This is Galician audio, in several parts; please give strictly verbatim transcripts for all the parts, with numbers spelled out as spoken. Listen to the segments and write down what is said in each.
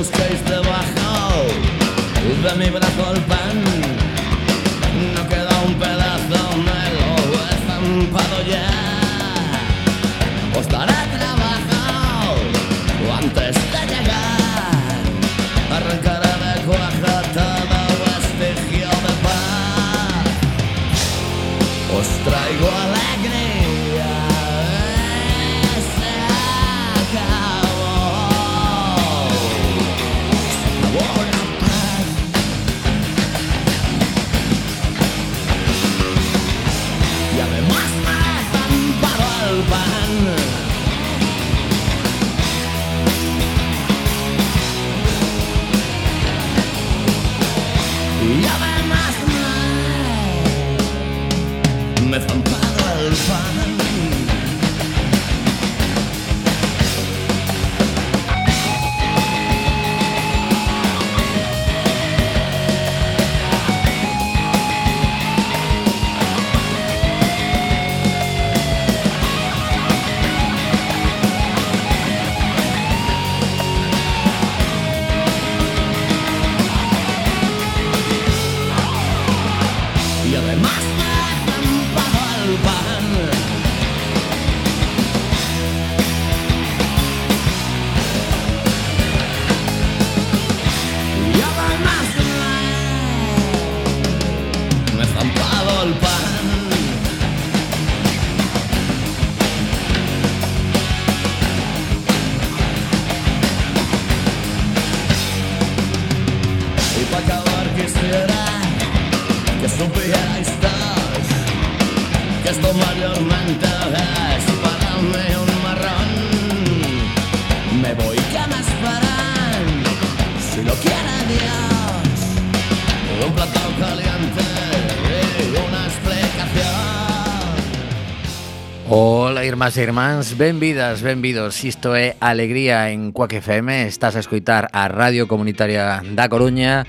busquéis debajo de mi brazo el pan. No queda un pedazo, me lo he estampado ya. Os daré trabajo antes de llegar. Arrancaré de cuaja todo vestigio de paz. Os traigo alegría. Se acabó. Sabor a paz. Y además me he estampado el pan. Y además me, me he estampado el pan. Y además me he estampado el pan. Y además me, me he estampado el pan. Y para acabar quisiera que supierais todos que esto mayormente es para mí un marrón. Me voy, que me esperan, si lo quiere Dios, un plato caliente y una explicación. Ola, irmás e irmáns, benvidas, benvidos. Isto é Alegría en Cuac F M. Estás a escoitar a Radio Comunitaria da Coruña.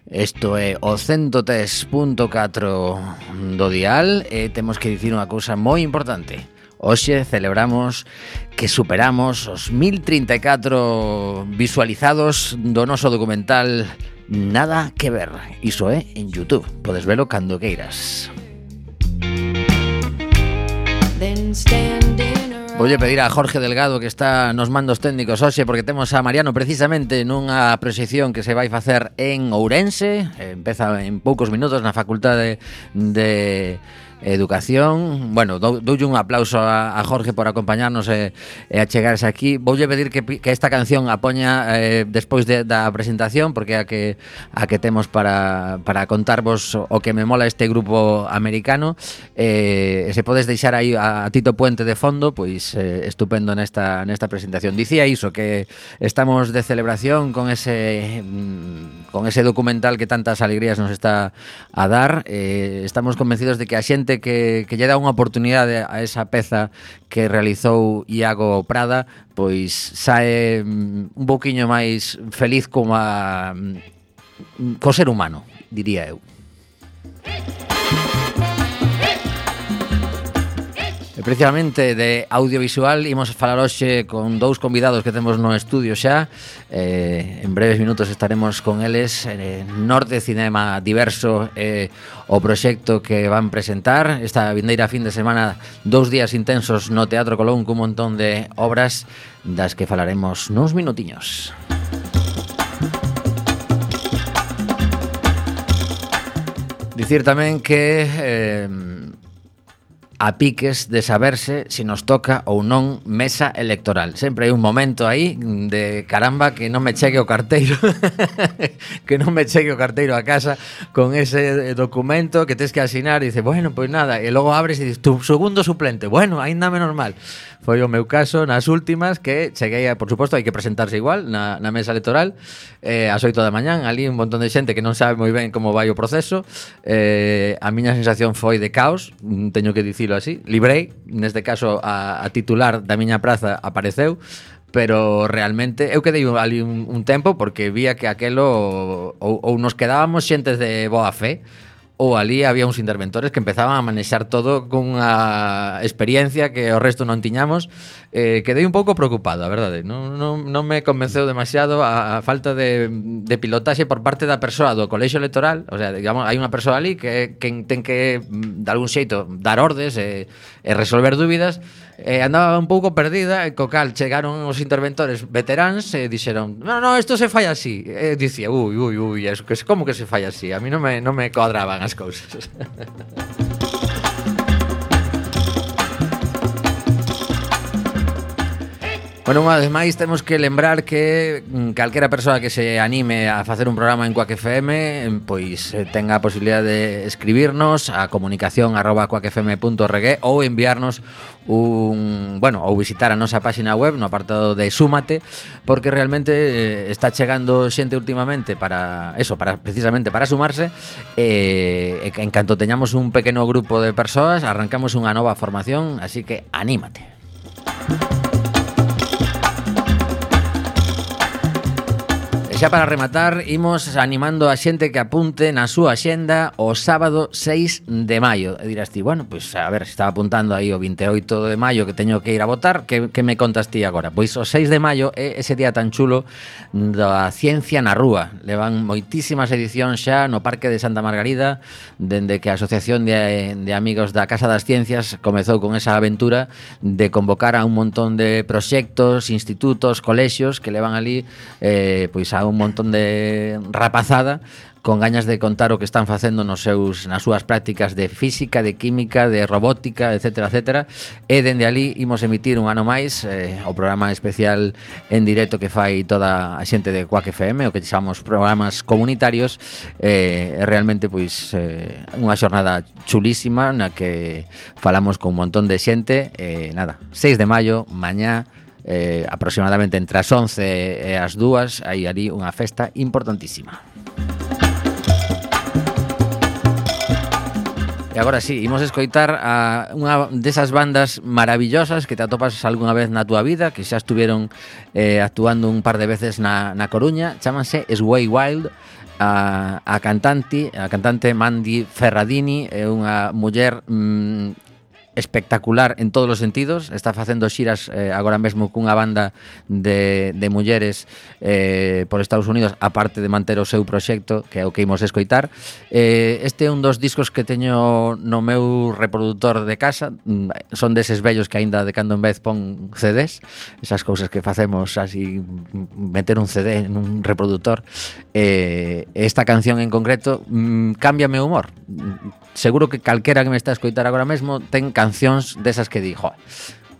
Isto é o ciento tres punto catro do dial e temos que dicir unha cousa moi importante. Hoxe celebramos que superamos os mil trinta e catro visualizados do noso documental Nada que ver. Iso é en YouTube. Podes velo cando queiras. Voulle pedir a Jorge Delgado, que está nos mandos técnicos hoxe, porque temos a Mariano precisamente nunha proxección que se vai facer en Ourense. Empeza en poucos minutos na Facultade de Educación. Bueno, dou, doulle un aplauso a, a Jorge por acompañarnos e, e a chegarse aquí. Voulle pedir que, que esta canción a poña eh, despois de, da presentación, porque a que a que temos para, para contarvos o que me mola este grupo americano. Eh, se podes deixar aí a, a Tito Puente de fondo, pois eh, estupendo nesta, nesta presentación. Dicía iso, que estamos de celebración con ese con ese documental que tantas alegrías nos está a dar. Eh, estamos convencidos de que a xente que, que lle dá unha oportunidade a esa peza que realizou Iago Prada, pois sae un pouquiño máis feliz como a co ser humano, diría eu. E precisamente de audiovisual imos falar hoxe con dous convidados que temos no estudio xa. eh, En breves minutos estaremos con eles. eh, Norte Cinema Diverso é eh, o proxecto que van presentar esta vindeira fin de semana, dous días intensos no Teatro Colón cun montón de obras das que falaremos nuns minutiños. Dicir tamén que eh, a piques de saberse se nos toca ou non mesa electoral. Sempre hai un momento aí de caramba que non me chegue o carteiro que non me chegue o carteiro a casa con ese documento que tes que asinar e dice, bueno, pois nada, e logo abres e dices, tu segundo suplente, bueno, aínda menos mal. Foi o meu caso nas últimas, que cheguei a, por suposto, hai que presentarse igual na, na mesa electoral eh, ás oito da mañán, ali un montón de xente que non sabe moi ben como vai o proceso. eh, a miña sensación foi de caos, teño que dicilo así. Librei, neste caso a, a titular da miña praza apareceu, pero realmente eu quedei ali un, un tempo porque vía que aquelo ou, ou nos quedábamos xentes de boa fe ou ali había uns interventores que empezaban a manexar todo cunha experiencia que o resto non tiñamos. Eh, quedei un pouco preocupado, a verdade. Non, non, non me convenceu demasiado a, a falta de, de pilotaxe por parte da persoa do colexio electoral. O sea, digamos, hai unha persoa ali que, que ten que, de algún xeito, dar ordes e, e resolver dúbidas. E andaba un pouco perdida, e co cal chegaron os interventores veteráns e dixeron: "No, no, isto se fai así". E dicía: "Ui, ui, ui, eso que como que se fai así?". A mí non me non me cuadraban as cousas. Bueno, unha vez máis temos que lembrar que calquera persoa que se anime a facer un programa en Quack F M, pois tenga a posibilidade de escribirnos a comunicación arroba quack f m punto org ou enviarnos un, bueno, ou visitar a nosa páxina web no apartado de Súmate, porque realmente eh, está chegando xente últimamente para eso, para precisamente para sumarse, e eh, en canto teñamos un pequeno grupo de persoas, arrancamos unha nova formación, así que anímate. Xa para rematar, imos animando a xente que apunte na súa axenda o sábado seis de maio. E dirás ti, bueno, pois a ver, estaba apuntando aí o vinte e oito de maio que teño que ir a votar, que, que me contas ti agora? Pois o seis de maio é ese día tan chulo da ciencia na rúa. Levan moitísimas edicións xa no Parque de Santa Margarida, dende que a Asociación de, de Amigos da Casa das Ciencias comezou con esa aventura de convocar a un montón de proxectos, institutos, colexios que levan ali eh, pois a un montón de rapazada con gañas de contar o que están facendo nos seus, nas súas prácticas de física, de química, de robótica, etcétera, etcétera. E dende ali imos emitir un ano máis eh, o programa especial en directo que fai toda a xente de Quack F M, o que chamamos programas comunitarios. Eh, realmente pois eh, unha xornada chulísima na que falamos con un montón de xente. Eh, nada, seis de maio, mañá, Eh, aproximadamente entre as once e as dúas, hai ali unha festa importantísima. E agora sí, imos escoitar a unha desas bandas maravillosas que te atopas algunha vez na túa vida, que xa estuveron eh, actuando un par de veces na, na Coruña. Chámanse Sway Wild. A, a cantante a cantante Mandy Ferradini é unha muller mmm, espectacular en todos os sentidos. Está facendo xiras eh, agora mesmo cunha banda de, de mulleres eh, por Estados Unidos, aparte de manter o seu proxecto, que é o que imos escoitar. Eh, este é un dos discos que teño no meu reproductor de casa. Son deses vellos que aínda de cando en vez pon C Ds, esas cousas que facemos así, meter un C D en un reproductor. Eh, esta canción en concreto mm, cambia meu humor. Seguro que calquera que me está a escoitar agora mesmo ten cancións desas que di, jo,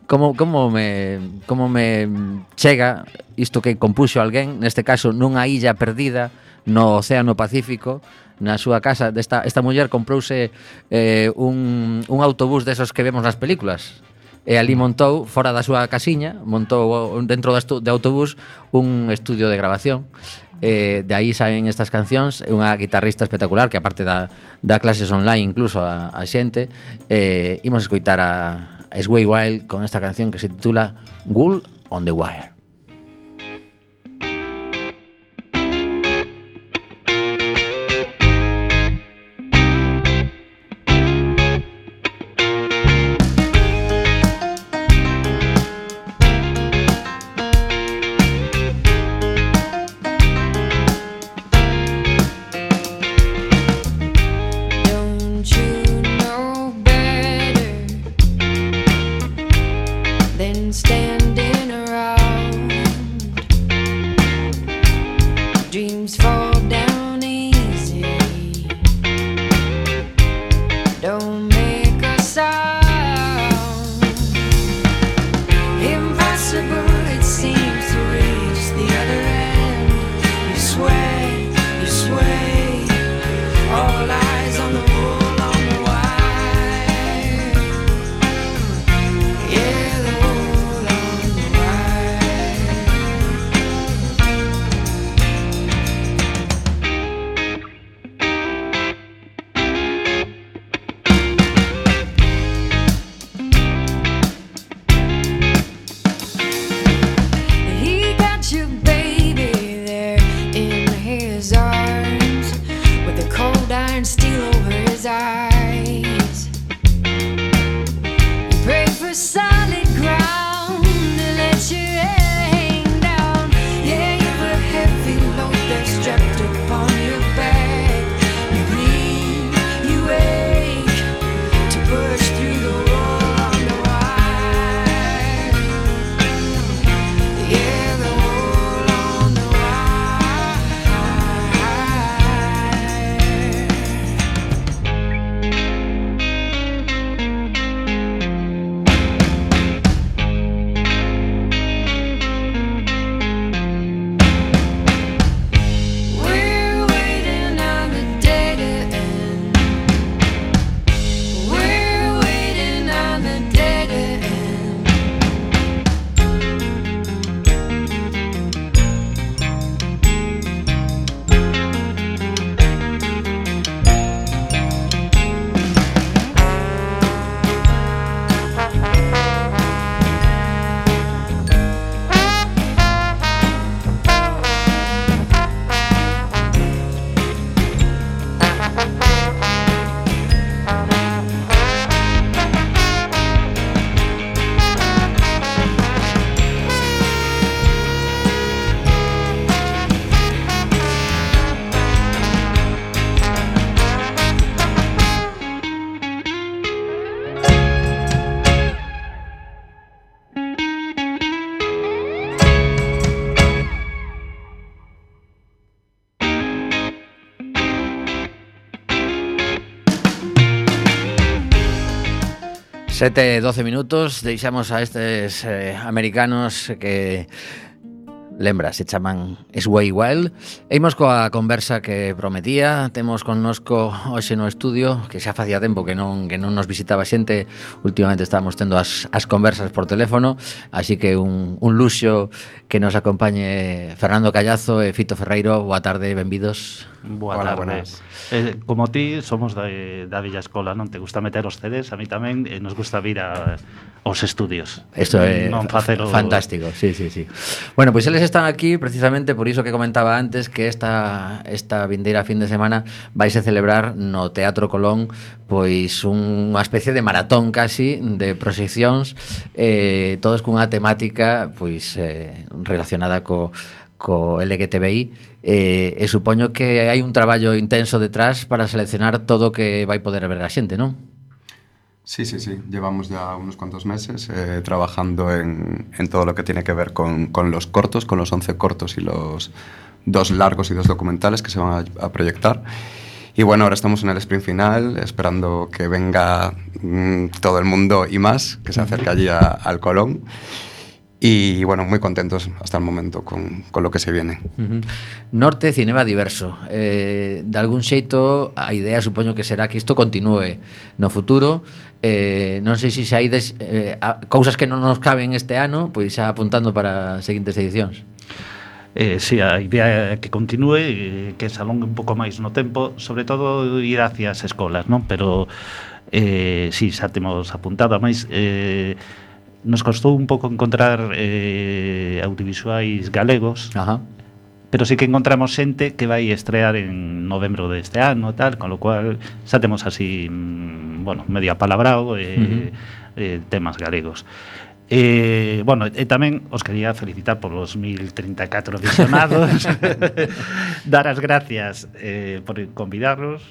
como, como, me, como me chega isto que compuxo alguén, neste caso nunha illa perdida no Océano Pacífico, na súa casa. Desta, esta muller comprouse eh, un, un autobús desos que vemos nas películas, e ali montou, fora da súa casiña, montou dentro do autobús un estudio de grabación. Eh, de aí saen estas cancións. É unha guitarrista espectacular que aparte da, da clases online incluso a, a xente. Eh, imos escoitar a, a Sway Wild con esta canción que se titula Wool on the Wire. Standing around sete e doce minutos, deixamos a estes eh, americanos que lembra, se chaman Sway Wild. E imos coa conversa que prometía. Temos connosco hoxe no estudio, que xa facía tempo que non que non nos visitaba xente. Últimamente estábamos tendo as, as conversas por teléfono, así que un, un luxo que nos acompañe Fernando Callazo e Fito Ferreiro. Boa tarde, benvidos. Boa tarde. Eh, como ti, somos da, da Villa Escola, non? Te gusta meter os C Ds, a mí tamén, e nos gusta vir a, aos estudios. Isto é non facelo... fantástico, sí, sí, sí. Bueno, pois eles están aquí precisamente por iso que comentaba antes, que esta, esta vindeira fin de semana vaise celebrar no Teatro Colón pois unha especie de maratón casi de proxeccións, eh, todos cunha temática pois eh, relacionada co co L G T B I, eh, e supoño que hai un traballo intenso detrás para seleccionar todo o que vai poder ver a xente, non? Sí, sí, sí. Llevamos ya unos cuantos meses eh, trabajando en, en todo lo que tiene que ver con, con los cortos, con los once cortos y los dos largos y dos documentales que se van a, a proyectar. Y bueno, ahora estamos en el sprint final, esperando que venga mmm, todo el mundo y más, que se acerque allí a, al Colón. Y bueno, muy contentos hasta el momento con, con lo que se viene. Uh-huh. Norte Cinema Diverso, eh, de algún xeito a idea supoño que será que isto continúe no futuro. eh, non sei se xa ides eh, a, cousas que non nos caben este ano, pois xa apuntando para as seguintes edicións. Eh, sí, a idea é que continúe, eh, que se alongue un pouco máis no tempo, sobre todo ir hacia as escolas, non? Pero eh, sí, xa temos apuntado, máis eh, nos costou un pouco encontrar eh, audiovisuais galegos. Ajá. Pero sí que encontramos xente que vai estrear en novembro deste ano, tal, con lo cual xa temos así, bueno, medio apalabrado eh, uh-huh. eh, temas galegos. Eh, bueno, e tamén os quería felicitar por los mil treinta e catro visionados. Dar as gracias eh, por convidarlos.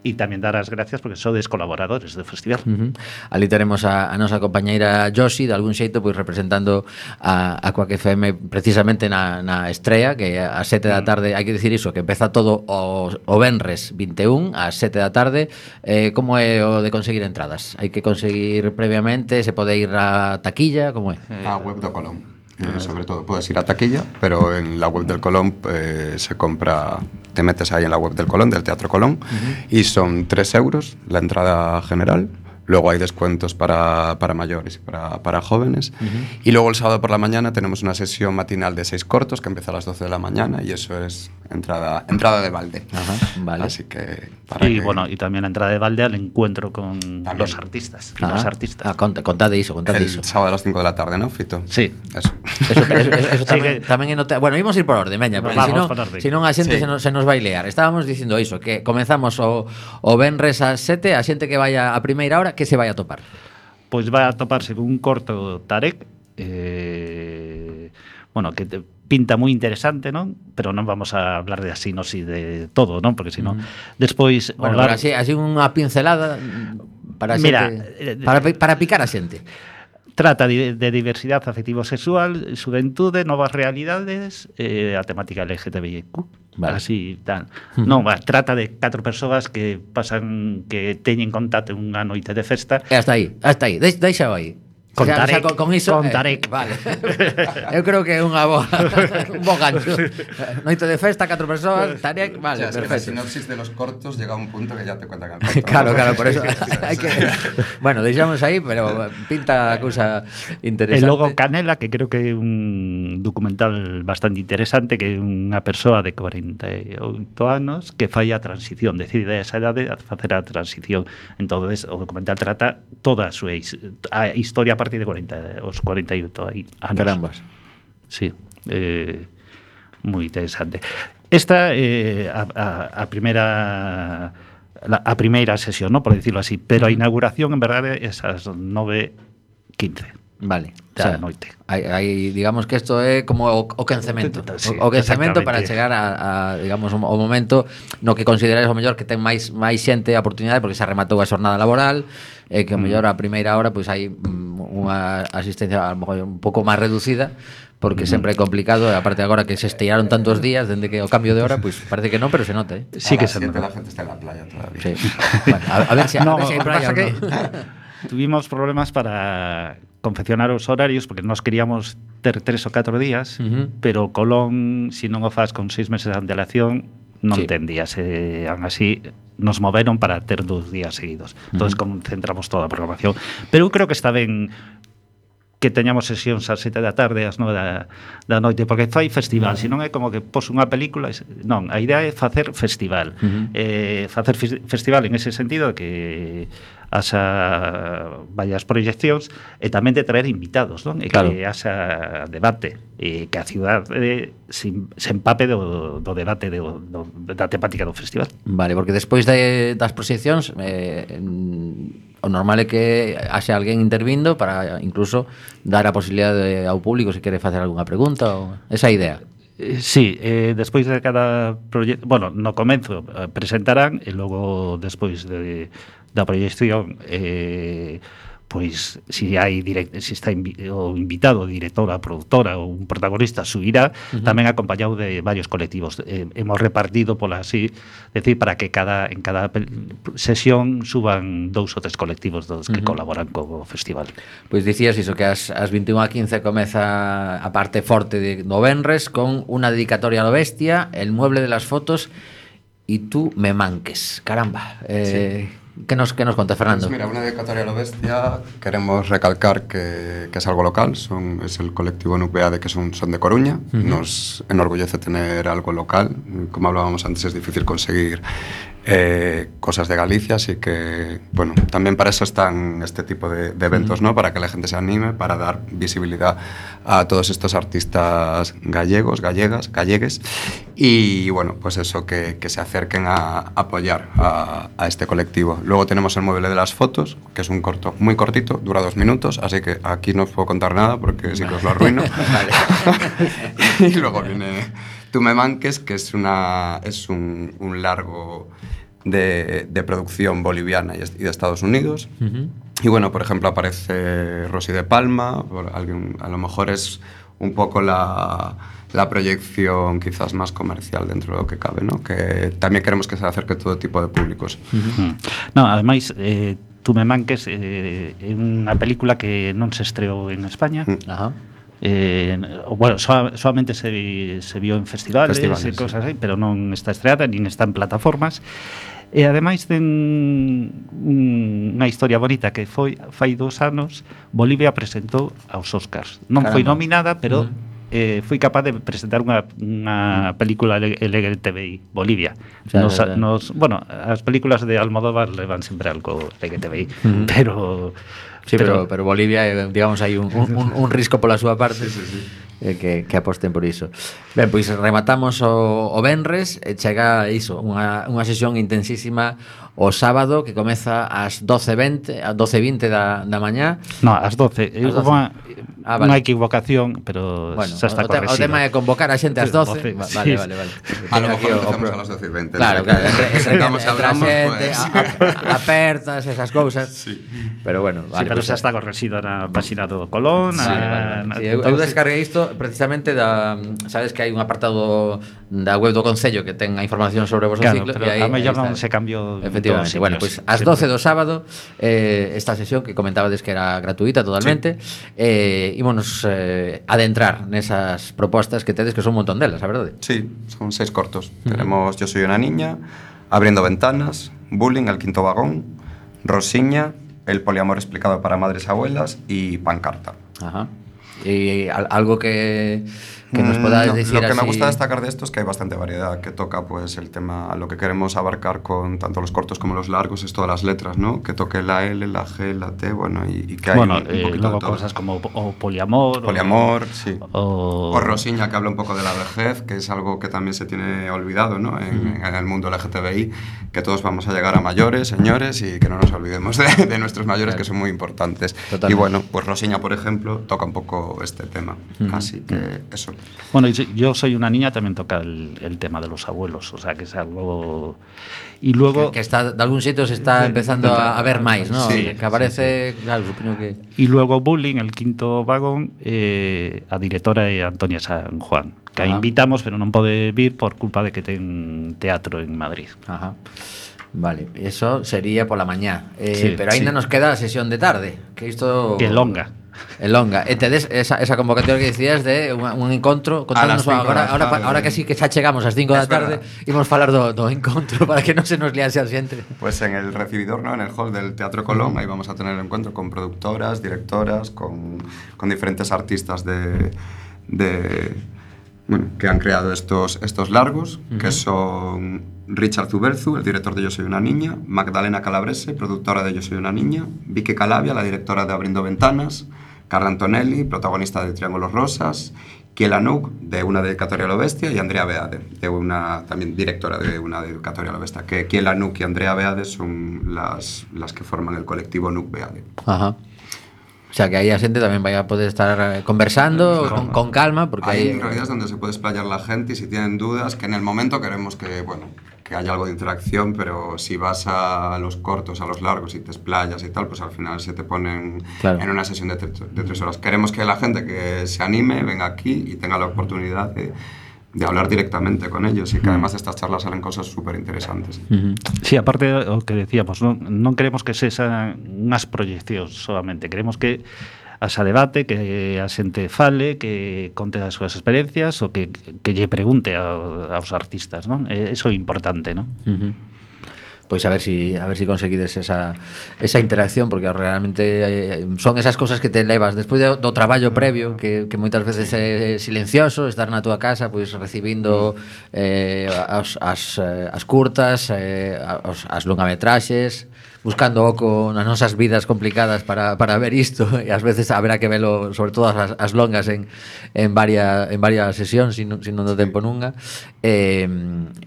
E tamén dar as gracias porque sodes colaboradores do festival. Uh-huh. Ali teremos a, a nosa compañeira Josi, de algún xeito, pois representando a, a Quack F M precisamente na, na estrea, que a sete da tarde, hai que dicir iso, que empeza todo o, o venres vinte e un, a sete da tarde. Eh, como é o de conseguir entradas? Hai que conseguir previamente, se pode ir a taquilla, como é? A web do Colón. Eh, sobre todo puedes ir a taquilla, pero en la web del Colón eh, se compra, te metes ahí en la web del Colón, del Teatro Colón, uh-huh. y son tres euros la entrada general. Luego hay descuentos para, para mayores y para, para jóvenes. Uh-huh. Y luego el sábado por la mañana tenemos una sesión matinal de seis cortos que empieza a las doce de la mañana y eso es entrada, entrada de balde. Uh-huh. Vale. Así que... Para y que... bueno, y también la entrada de balde al encuentro con también. los artistas. Uh-huh. Los artistas. Ah, cont contade iso, contade el iso. sábado a las cinco de la tarde, ¿no, Fito? Sí. Eso. Eso, eso, eso, eso tamén, sí que... tamén é nota... Bueno, ímos ir por orden, veña, porque senón si non a xente sí. se, nos, se nos vai lear. Estábamos dicindo iso, que comezamos o, o venres a sete, a xente que vaya a primeira hora, que se vai a topar? Pois vai a toparse con un corto Tarek, eh, bueno, que te pinta moi interesante, non? Pero non vamos a hablar de así, no si de todo, non? Porque senón mm. despois bueno, hablar... así, así unha pincelada para Mira, xente, para, para picar a xente. Trata de, de diversidade afectivo-sexual, xuventude, novas realidades, eh, a temática L G T B I Q. Vale. Así, tal. Uh-huh. Non, va, trata de catro persoas que pasan, que teñen contacto unha noite de festa. E hasta aí, hasta aí, Deix, deixa aí. Con Tarek, o sea, con, con iso, con Tarek. Eh, vale. Eu creo que é unha boa, un bo gancho. Noite de festa, catro persoas, Tarek, vale, o sea, perfecto. Es que la sinopsis de los cortos llega a un punto que ya te cuentan el corto. Claro, claro, por eso hai que... Bueno, deixamos aí, pero pinta a cousa interesante. E logo Canela, que creo que é un documental bastante interesante, que é unha persoa de cuarenta e oito anos que fai a transición, decide a esa idade a facer a transición. Entonces, o documental trata toda a súa a historia a partir de cuarenta, os cuarenta e oito anos. Carambas. Sí, eh, moi interesante. Esta é eh, a, a, a primeira la, a primeira sesión, ¿no? Por decirlo así, pero a inauguración en verdade é esas nove quince. Vale, da o sea, noite. Hai, hai, digamos que isto é como o, o quencemento, sí, o, o quencemento para chegar a, a digamos o, o momento no que considerais o mellor que ten máis máis xente a oportunidade porque se rematou a xornada laboral e que o mellor a primeira hora pois hai unha asistencia a lo mejor un pouco máis reducida porque mm. sempre é complicado, aparte agora que se estiraron tantos días dende que o cambio de hora, pois parece que non, pero se nota, eh. Sí a que se nota. La gente está en la playa todavía. Sí. Bueno, a, a ver se si, no, si hai playa o que... no. tuvimos problemas para confeccionar os horarios porque nós queríamos ter tres ou catro días, uh-huh. pero Colón, se si non o faz con seis meses de antelación, non sí. ten días. E, aún así, nos moveron para ter dos días seguidos. Entón, uh-huh. concentramos toda a programación. Pero eu creo que está ben que teñamos sesións ás sete da tarde, ás nove da, da noite, porque fai festival, uh-huh. se non é como que pos unha película, non, a idea é facer festival. Uh-huh. Eh, facer f- festival en ese sentido que haxa varias proyeccións e tamén de traer invitados, non? E claro. que haxa debate e que a cidade se, se empape do, do debate de, do, da temática do festival. Vale, porque despois de, das proxeccións eh, o normal é que haxe alguén intervindo para incluso dar a posibilidade ao público se quere facer algunha pregunta ou esa idea. Eh, sí, eh, despois de cada proyecto, bueno, no comenzo eh, presentarán e logo despois de, da proyección eh, pois se hai direct, se está invi, o invitado, directora, productora ou un protagonista subirá, uh-huh. tamén acompañado de varios colectivos. Eh, hemos repartido pola así, decir, para que cada en cada sesión suban dous ou tres colectivos dos que uh-huh. colaboran co festival. Pois dicías iso, que as, as vinte e unha a quince comeza a parte forte de, do venres con unha dedicatoria a lo bestia, el mueble de las fotos y tú me manques. Caramba, eh... Sí. ¿Qué nos, qué nos cuenta, Fernando? Pues mira, una dedicatoria a lo bestia, queremos recalcar que, que es algo local, son, es el colectivo Nucleade, que son, son de Coruña, uh-huh. nos enorgullece tener algo local, como hablábamos antes es difícil conseguir eh, cosas de Galicia, así que, bueno, también para eso están este tipo de, de eventos, uh-huh. ¿no? Para que la gente se anime, para dar visibilidad a todos estos artistas gallegos, gallegas, gallegues, y bueno, pues eso, que, que se acerquen a apoyar a, a este colectivo. Luego tenemos el mueble de las fotos, que es un corto muy cortito, dura dos minutos, así que aquí no os puedo contar nada porque sí que os lo arruino. Y luego viene Tú me manques, que es, una, es un, un largo de, de producción boliviana y de Estados Unidos. Uh-huh. Y bueno, por ejemplo, aparece Rosy de Palma, alguien, a lo mejor es un poco la, la proyección quizás más comercial dentro de lo que cabe, ¿no? Que también queremos que se acerque todo tipo de públicos. Uh-huh. No, además, eh, Tú me manques é eh, unha película que non se estreou en España. Uh-huh. Ajá. Eh, bueno, so, solamente se, se vio en festivales, festivales e cosas sí. así, pero non está estreada, nin está en plataformas. E ademais ten un, unha historia bonita que foi fai dos anos Bolivia presentou aos Oscars. Non Caramba. Foi nominada, pero uh-huh. eh, foi capaz de presentar unha, unha película L G T B I Bolivia. O sea, nos, nos, bueno, as películas de Almodóvar levan sempre algo L G T B I, uh-huh. pero sí, pero, pero, pero Bolivia, digamos, hai un, un, un risco pola súa parte. Sí, sí, sí. Eh, que, que aposten por iso. Ben, pois rematamos o, o venres e chega iso, unha, unha sesión intensísima o sábado que comeza ás doce e vinte, ás doce e vinte da, da mañá. No, ás doce. Ás doce. Unha, ah, vale. Unha equivocación, pero bueno, xa está o, corregido. O tema é convocar a xente ás doce. Sí, vale, sí. vale, vale. A lo mejor empezamos a las doce y veinte. Claro, claro. Entre, entre, entre, entre a xente, pues. apertas, esas cousas. Sí. Pero bueno, vale. Sí, pero pues, xa está corregido na página do Colón. Sí, a, vale, vale. Na, Sí, eu, eu descarguei isto precisamente da, sabes que hai un apartado da web do Concello que ten a información sobre o vosso claro, ciclo, pero e aí a mellor non se cambiou. Efectivamente. Bueno, pois pues, ás doce do sábado eh, esta sesión que comentabades que era gratuita totalmente, sí. eh, ímonos eh, adentrar nesas propostas que tedes, que son un montón delas, a verdade. Sí, son seis cortos. Uh-huh. Tenemos Yo soy una niña, Abriendo ventanas, Bullying, El quinto vagón, Rosiña, El poliamor explicado para madres abuelas y Pancarta. Ajá. Y algo que, que nos podáis decir Lo que así... me gusta destacar de esto es que hay bastante variedad, que toca pues el tema, lo que queremos abarcar con tanto los cortos como los largos es todas las letras, ¿no? Que toque la L, la G, la T, bueno, y, y que hay bueno, un, un eh, poquito luego de todo. Cosas como o poliamor. Poliamor, o, sí. O... o Rosiña, que habla un poco de la vejez, que es algo que también se tiene olvidado, ¿no? En, mm. en el mundo L G T B I, que todos vamos a llegar a mayores, señores, y que no nos olvidemos de, de nuestros mayores, claro. que son muy importantes. Totalmente. Y bueno, pues Rosiña, por ejemplo, toca un poco este tema. Mm. Así que eso. Bueno, Yo soy una niña también toca el, el tema de los abuelos, o sea que es algo... Y luego... Que, que está, de algún sitio se está empezando a, a ver máis, ¿no? Sí, que aparece, sí, sí. claro, supongo que... Y luego Bullying, El quinto vagón, eh, a directora é Antonia San Juan, que a invitamos, pero non pode vir por culpa de que ten teatro en Madrid. Ajá. Vale, eso sería pola mañá. Eh, Sí, pero aínda sí. nos queda a sesión de tarde, que isto Que longa. É longa. E tedes esa, esa convocatoria que dicías de un, un encontro contándonos cinco agora, da ahora, tarde. ahora que sí que xa chegamos ás cinco da Es tarde, verdad. imos falar do, do encontro para que non se nos liase a xente. Pues en el recibidor, ¿no? En el hall del Teatro Colón, ahí vamos a tener el encuentro con productoras, directoras, con, con diferentes artistas de, de bueno, que han creado estos, estos largos, uh-huh. que son Richard Zuberzu, el director de Yo soy una niña, Magdalena Calabrese, productora de Yo soy una niña, Vicky Calavia, la directora de Abriendo Ventanas, Carla Antonelli, protagonista de Triángulos Rosas, Kiela Nouk, de Una dedicatoria a lo bestia, y Andrea Beade, de una, también directora de Una dedicatoria a lo bestia, que Kiela Nouk y Andrea Beade son las, las que forman el colectivo Nouk Beade. Ajá. O sea, que aí a xente tamén vai a poder estar eh, conversando con, con calma, porque Ahí aí... en realidad es donde se puede explayar la gente y si tienen dudas, que en el momento queremos que, bueno, que haya algo de interacción, pero si vas a los cortos, a los largos y te explayas y tal, pues al final se te ponen Claro. en una sesión de, tre- de tres horas. Queremos que la gente que se anime venga aquí y tenga la oportunidad de, de hablar directamente con ellos y que además de estas charlas salen cosas súper interesantes. Uh-huh. Sí, aparte o que decíamos, non, non queremos que sexan unhas proyeccións solamente, queremos que haxa debate, que a xente fale, que conte as súas experiencias ou que, que lle pregunte a, aos artistas, non? Eso é importante, non? Uh-huh. Pois a ver si a ver si conseguides esa esa interacción, porque realmente eh, son esas cosas que te levas despois do, do traballo previo, que, que moitas veces é silencioso, estar na túa casa pois recibindo eh, as, as, eh, as curtas, eh, as, as longametraxes, buscando oco nas nosas vidas complicadas para, para ver isto, e ás veces haberá que velo, sobre todo as, as longas en, en varias en varias sesións, sin, sin non do tempo nunha, e,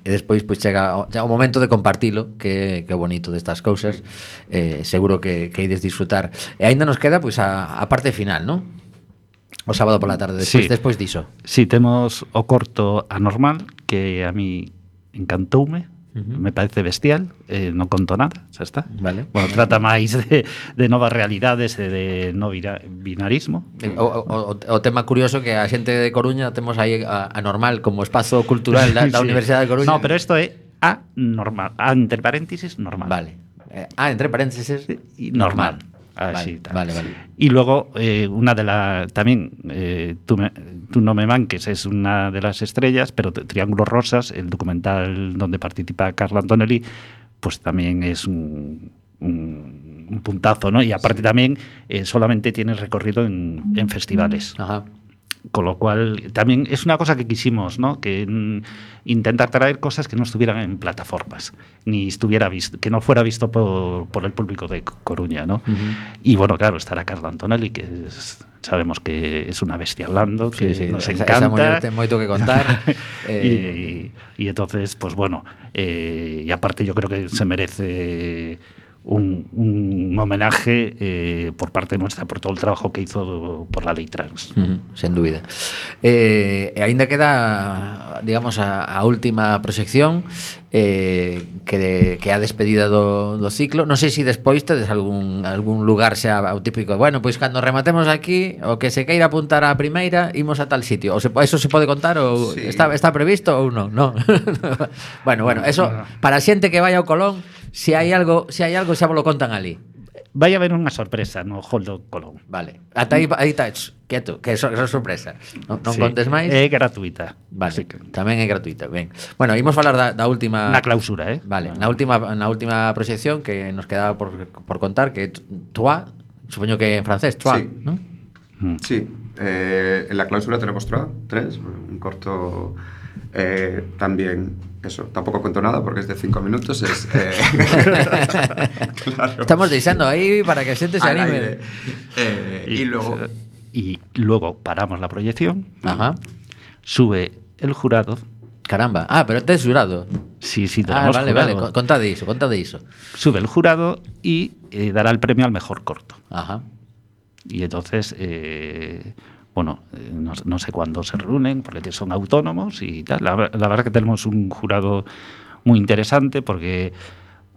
e despois pois chega o, chega o momento de compartilo, que, que é bonito destas cousas, eh, seguro que, que ides disfrutar. E aínda nos queda pois a, a parte final, non? O sábado pola tarde, despois, Sí. despois diso. Si, sí, temos o corto Anormal, que a mí encantoume, Uh-huh. me parece bestial, eh, non conto nada, xa está. Vale. Bueno, trata máis de, de novas realidades e de no vira, binarismo. O, o, o tema curioso que a xente de Coruña temos aí a, a Normal como espazo cultural da, da Sí. Universidade de Coruña. No, pero isto é a normal, a entre paréntesis normal. Vale. Eh, ah, entre paréntesis Y normal. Vale, Así, tal. vale, vale. Y luego, eh, una de las. También, eh, tú, me- tú no me manques, es una de las estrellas, pero T- Triángulos Rosas, el documental donde participa Carla Antonelli, pues también es un, un, un puntazo, ¿no? Y aparte también eh, solamente tiene recorrido en, en festivales. Ajá. Con lo cual, también es una cosa que quisimos, ¿no? Que mm, intentar traer cosas que no estuvieran en plataformas, ni estuviera visto, que no fuera visto por, por el público de Co- Coruña, ¿no? Uh-huh. Y bueno, claro, estará Carla Antonelli, que es- sabemos que es una bestia hablando, que Sí, sí, nos esa- encanta. esa muller ten moito que contar. eh, y, y entonces, pues bueno, eh, y aparte yo creo que se merece un, un homenaje eh, por parte nuestra por todo el trabajo que hizo por la ley trans. Uh-huh, sen dúbida. Eh, e aínda queda, digamos, a, a última proxección, eh, que, de, que é a despedida do, do ciclo. Non sei se despois tedes algún, algún lugar xa o típico, bueno, pois cando rematemos aquí, o que se queira apuntar á primeira, imos a tal sitio. O se, eso se pode contar ou Sí. está, está previsto ou non? Non. bueno, bueno, eso para a xente que vai ao Colón, se hai algo, se hai algo xa vos lo contan ali. Vai haber unha sorpresa no Hall do Colón. Vale. Ata aí, aí está, quieto, que eso, eso é sorpresa. Non, non Sí, contes máis. É gratuita. Vale, Así que, tamén é gratuita. Ben. Bueno, imos falar da, da última na clausura, eh? Vale, na última na última proxección que nos quedaba por, por contar, que é Trois, supoño que en francés, Trois, Sí. ¿no? Mm. Sí, eh, en la clausura tenemos Trois, tres, un corto eh, también, eso, tampoco cuento nada porque es de cinco minutos, es... Eh, claro. Estamos deixando aí para que a xente se Al anime. aire. Eh, y, luego... y luego paramos la proyección, Ajá. sube el jurado. Caramba. Ah, pero tes jurado. Sí, sí, Ah, tenemos vale, jurado. vale, con- contade iso, contade iso. Sube el jurado y eh, dará el premio al mejor corto. Ajá. Y entonces, eh, bueno, eh, no, no sé cuándo se reúnen, porque son autónomos y tal. La, la verdad que tenemos un jurado muy interesante porque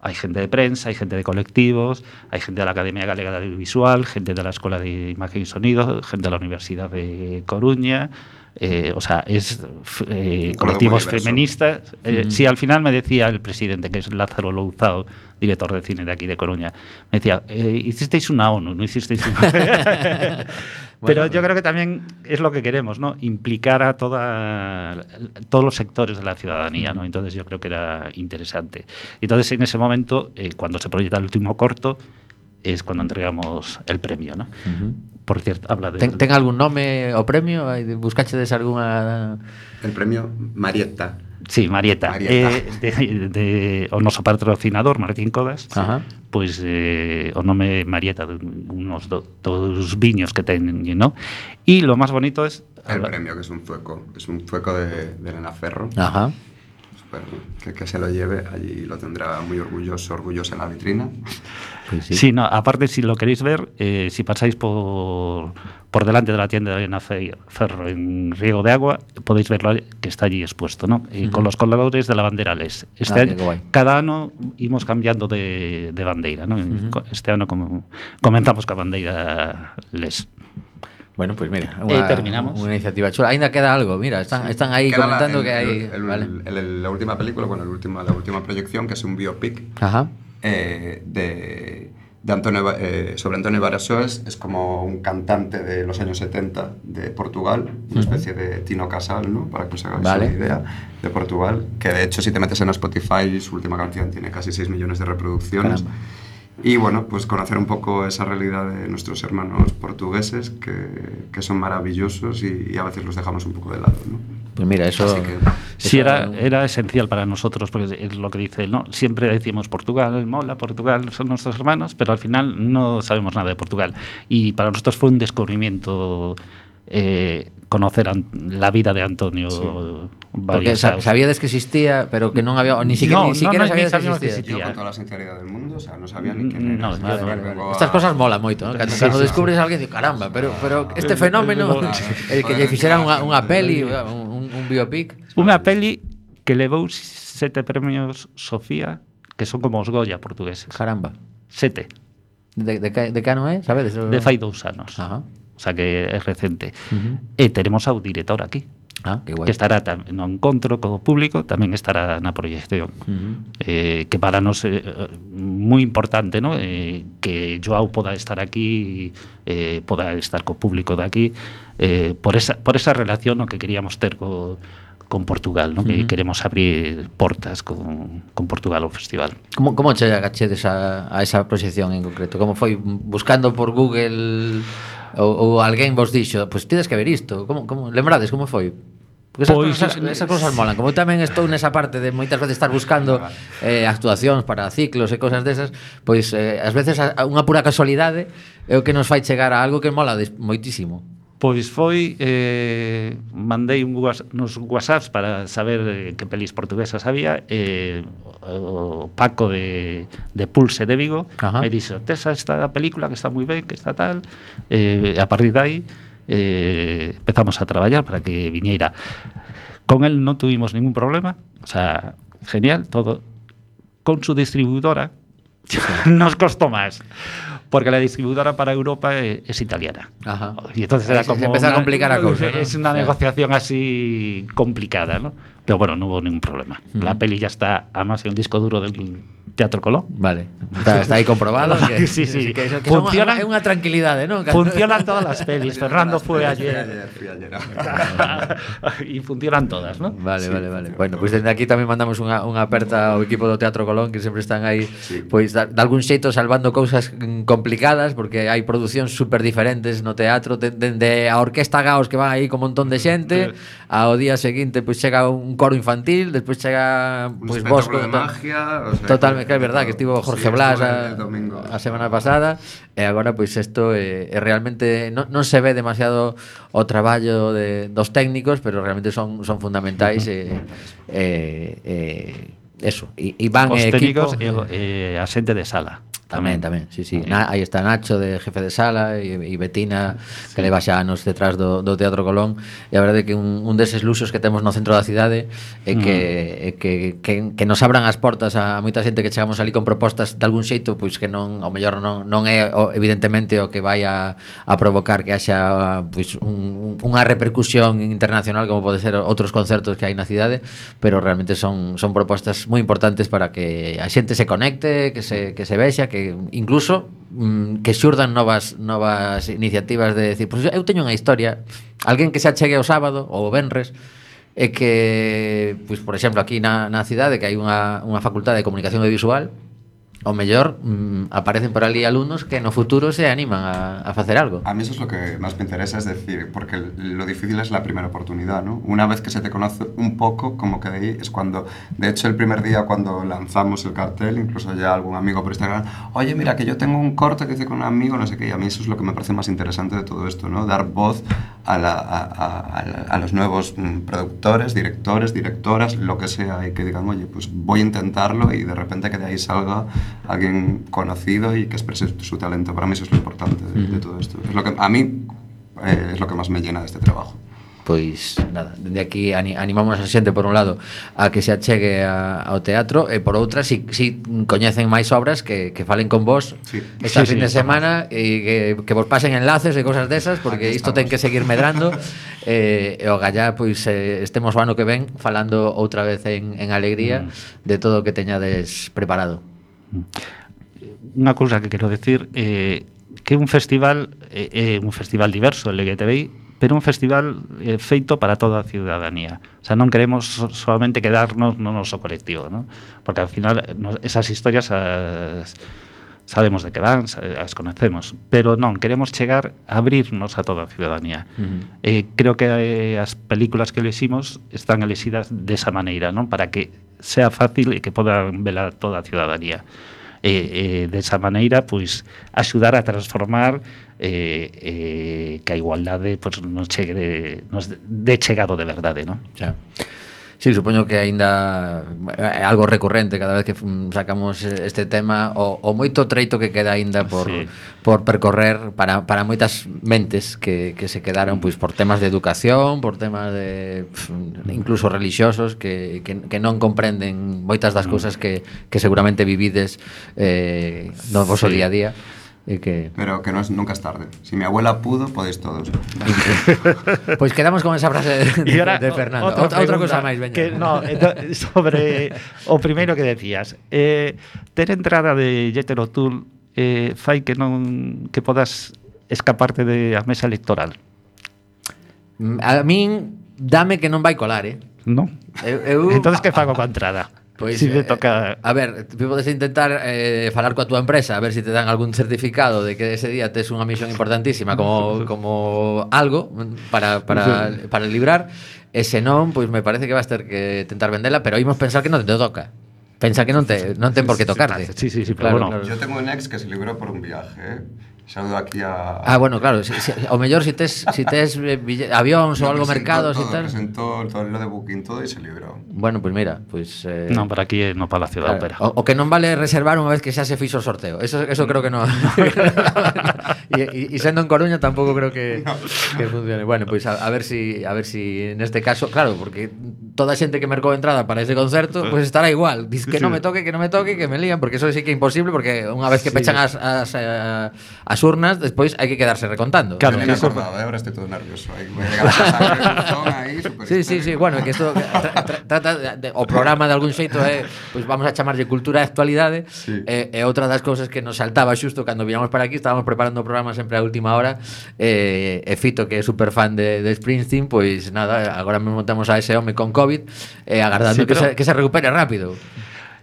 hay gente de prensa, hay gente de colectivos, hay gente de la Academia Galega de Audiovisual, gente de la Escuela de Imagen y Sonido, gente de la Universidad de Coruña, Eh, o sea, es eh, colectivos feministas. Eh, mm. Sí, al final me decía el presidente, que es Lázaro Louzao, director de cine de aquí de Coruña, me decía, eh, hicisteis una ONU, no hicisteis una... Pero bueno, yo creo que también es lo que queremos, ¿no? Implicar a toda, todos los sectores de la ciudadanía, ¿no? Entonces yo creo que era interesante. Entonces en ese momento, eh, cuando se proyecta el último corto, es cuando entregamos el premio, ¿no? Uh-huh. Por cierto, habla de... Ten, ten algún nome o premio? Buscachedes alguna... El premio Marieta. Sí, Marieta. Marieta. Eh, de, de, o noso patrocinador, Martín Codas, Ajá. Pois eh, o nome Marieta de unos do, dos viños que teñen, ¿no? Y lo más bonito es... El habla... premio, que es un zueco, es un zueco de, de Elena Ferro. Ajá. Bueno, que, que se lo lleve, allí lo tendrá muy orgulloso, orgulloso en la vitrina. Pues sí. Sí, no, aparte si lo queréis ver, eh, si pasáis por, por delante de la tienda de Elena Ferro en Riego de Agua, podéis verlo que está allí expuesto, ¿no? Y uh-huh. Con los colgadores de la bandera L E S. Este ah, año, cada ano imos cambiando de, de bandeira, ¿no? Uh-huh. Este ano como comentamos ca bandeira L E S. Bueno, pues mira, una, eh, terminamos. Una iniciativa chula. Ainda queda algo, mira, están, sí. están ahí queda comentando la, el, que hay... El, el, vale. el, el, la última película, bueno, el última, la última proyección, que es un biopic Ajá. Eh, de, de Antonio, eh, sobre Antonio Barasoes. Es como un cantante de los años setenta de Portugal, una especie de Tino Casal, ¿no? Para que os hagáis vale. una idea, de Portugal, que de hecho si te metes en Spotify, su última canción tiene casi seis millones de reproducciones. Caramba. Y bueno, pues conocer un poco esa realidad de nuestros hermanos portugueses, que, que son maravillosos y, y a veces los dejamos un poco de lado, ¿no? Pues mira, eso... Así que, sí, era, era esencial para nosotros, porque es lo que dice él, ¿no? Siempre decimos Portugal, mola, Portugal, son nuestros hermanos, pero al final no sabemos nada de Portugal. Y para nosotros fue un descubrimiento... Eh, conocer an- la vida de Antonio. Sí. Porque sabíades que existía, pero que non había ni siquiera, no, ni siquiera no, no, sabíades ni que existía. Yo con toda la sinceridad del mundo, o sea, no sabía ni quién era. No, vale, vale, vale. Estas cosas molan moito, ¿no? Cando, sí, cando sí, descubres sí. a alguén, digo, caramba, pero pero este fenómeno, el que lle fixeran unha unha peli, un, un biopic, unha peli que levou sete premios Sofía, que son como os Goya portugueses. Caramba. Sete. De, de, de que ano é, sabedes? De fai dous anos. Ajá. O sea que é recente. Uh-huh. E teremos ao director aquí. Ah, que guai. Que estará tam- no encontro co público, tamén estará na proyección. Uh-huh. Eh, que para nos é eh, moi importante, ¿no? Eh, que Joao poda estar aquí, eh, poda estar co público de aquí, eh, por esa por esa relación no, que queríamos ter co con Portugal, ¿no? Uh-huh. Que queremos abrir portas con, con Portugal ao festival. Como, como che agachedes a, a esa proxección en concreto? Como foi? Buscando por Google ou, ou alguén vos dixo, pois pues, tides que ver isto? Como, como, lembrades como foi? Porque esas, pues, cosas, esas cosas molan. Como tamén estou nesa parte de moitas veces estar buscando eh, actuacións para ciclos e cosas desas, pois eh, ás veces a, a unha pura casualidade é o que nos fai chegar a algo que mola des, moitísimo. Pois foi, eh, mandei un was, nos whatsapps para saber eh, que pelis portuguesas había, eh, o Paco de, de Pulse de Vigo. Ajá. Me dixo, tes esta película que está moi ben, que está tal, eh, a partir de aí eh, empezamos a traballar para que viñeira. Con él non tuvimos ningún problema, o sea, genial, todo. Con su distribuidora nos costó más, porque la distribuidora para Europa es, es italiana. Ajá. Y entonces era como se empezó una, a complicar la cosa, ¿no? Es una sí. negociación así complicada, ¿no? Pero bueno, no hubo ningún problema. Uh-huh. La peli ya está, además, en el disco duro del Teatro Colón. Vale, está, está aí comprobado. Que, sí, sí. Que, que funcionan, é unha tranquilidade, ¿no? Funcionan todas las pelis. Fernando fue ayer. Fui ayer. Y funcionan todas, ¿no? Vale, sí. vale, vale. Bueno, pois pues desde aquí tamén mandamos unha, unha aperta ao equipo do Teatro Colón, que sempre están aí, sí. Pois pues, de algún xeito salvando cousas complicadas, porque hai producións super diferentes no teatro, dende a orquesta Gaos que van aí con un montón de xente, ao día seguinte pois pues, chega un coro infantil, despois chega pois pues, Bosco de magia, o sea, totalmente, que é verdad que estivo Jorge sí, Blas a, a semana pasada, e agora pois pues, isto é, é realmente non, non se ve demasiado o traballo de, dos técnicos, pero realmente son, son fundamentais e eh, eh, eso, e, e van os equipo técnicos e, e a xente de sala Tamén, tamén, sí, sí. Na, aí está Nacho de jefe de sala e, e Betina, sí, que leva xa anos detrás do, do Teatro Colón, e a verdade é que un, un deses luxos que temos no centro da cidade é que, mm. é que, que, que nos abran as portas a moita xente que chegamos ali con propostas de algún xeito, pois que non, ao mellor non, non é o, evidentemente o que vai a, a provocar que haxa pois, un, unha repercusión internacional como pode ser outros concertos que hai na cidade, pero realmente son, son propostas moi importantes para que a xente se conecte, que se, que se vexa, que incluso mm, que xurdan novas novas iniciativas de decir, pois eu teño unha historia, alguén que se achegue o sábado ou o venres e que, pois por exemplo, aquí na, na cidade que hai unha, unha facultade de comunicación audiovisual, o mellor mmm, aparecen por ali alumnos que no futuro se animan a, a facer algo. A mí eso es lo que más me interesa, es decir, porque lo difícil es la primera oportunidad, ¿no? Una vez que se te conoce un poco, como que de ahí es cuando, de hecho el primer día cuando lanzamos el cartel, incluso ya algún amigo por Instagram, oye mira que yo tengo un corte que hice con un amigo, no sé qué, y a mí eso es lo que me parece más interesante de todo esto, ¿no? Dar voz a, la, a, a, a los nuevos mm, productores, directores, directoras, lo que sea, y que digan, oye, pues voy a intentarlo, y de repente que de ahí salga alguien conocido y que exprese su talento. Para mí eso es lo importante de, de todo esto. Es lo que, a mí eh, es lo que más me llena de este trabajo. Pois nada, dende aquí animamos a xente por un lado a que se achegue a, ao teatro e por outra si, si coñecen máis obras que, que falen con vos sí. esta sí, fin sí, de semana e que, que vos pasen enlaces e cosas desas porque isto ten que seguir medrando e, e o gallá pois eh, estemos o ano que ven falando outra vez en, en alegría mm. de todo o que teñades preparado. Unha cousa que quero decir é eh, que un festival é eh, un festival diverso, el L G T B I, pero un festival eh, feito para toda a ciudadanía. O sea, non queremos solamente quedarnos no noso colectivo, ¿no? Porque al final no, esas historias as, sabemos de que van, as conocemos, pero non, queremos chegar a abrirnos a toda a ciudadanía. Uh-huh. Eh, creo que eh, as películas que eleximos están elexidas desa maneira, ¿no? Para que sea fácil e que podan velar toda a ciudadanía. E, e desa maneira, pois, axudar a transformar eh, eh, que a igualdade pois, nos chegue de, nos de chegado de verdade, non? Xa. Sí, supoño que aínda é algo recurrente cada vez que sacamos este tema o, o moito treito que queda aínda por, sí. por percorrer para, para moitas mentes que, que se quedaron pois, por temas de educación, por temas de incluso religiosos que, que, que non comprenden moitas das cousas que, que seguramente vivides eh, no vosso sí. día a día. Y que... Pero que no es, nunca es tarde. Si mi abuela pudo, podéis todos. Pues quedamos con esa frase de, de, ahora, de Fernando. Otra, otra, otra cosa máis, veña. Que, no, sobre o primeiro que decías. Eh, ter entrada de Jethro Tull eh, fai que non que podas escaparte de a mesa electoral. A min dame que non vai colar, eh? Non. Eu, eu... Entonces que fago coa entrada? Pois, si te toca... eh, a ver, podes intentar eh, falar coa túa empresa a ver se si te dan algún certificado de que ese día tes unha misión importantísima como, como algo para, para, para librar e se non, pois me parece que vas ter que tentar vendela, pero imos pensar que non te toca. Pensa que non te non ten por que tocarte. Sí, sí, sí, pero claro, bueno. Claro. Yo tengo un ex que se libró por un viaje, ¿eh? Saludo aquí a... Ah, bueno, claro, si, si, o mellor si tes, si tes avións ou algo mercados e tal. Presentó todo lo de Booking todo e se librou. Bueno, pois pues mira, pois pues, eh... Non, para aquí no Palacio da Ópera. O, o que non vale reservar unha vez que xa se fixo o sorteo. Eso eso creo que non. E sendo en Coruña tampouco creo que no. que funcione. Bueno, pois pues a, a ver si a ver si neste caso, claro, porque toda a xente que mercou entrada para ese concerto, pois pues estará igual. Diz que sí. non me toque, que non me toque, que me lían, porque eso sí que é imposible porque unha vez que sí. pechan as as a, as urnas, despois hai que quedarse recontando. Claro, me he acordado, ahora estoy todo nervioso. Ahí, voy a llegar a casa, ahí, sí, sí, sí, bueno, que isto trata tra, tra, de, o programa de algún xeito é, pois vamos a chamarlle cultura e actualidade. Sí. E, e outra das cousas que nos saltaba xusto cando viñamos para aquí, estábamos preparando o programa sempre a última hora, e, e Fito, que é super fan de, de Springsteen, pois nada, agora mesmo temos a ese home con COVID, e agardando sí, pero... que, se, que se recupere rápido.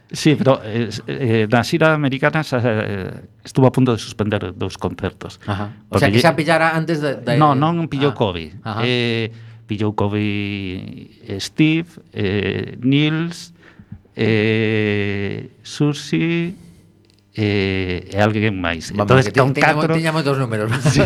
Sí, pero eh, eh, na xira americana eh, estuvo a punto de suspender dous concertos. Ajá. O sea, que xa pillara antes de... de... No, non pillou ah. COVID. Eh, pillou COVID Steve, eh, Nils, eh, Susi eh, e alguén máis. Vamos, entonces, con catro... Tiña moitos números. Sí,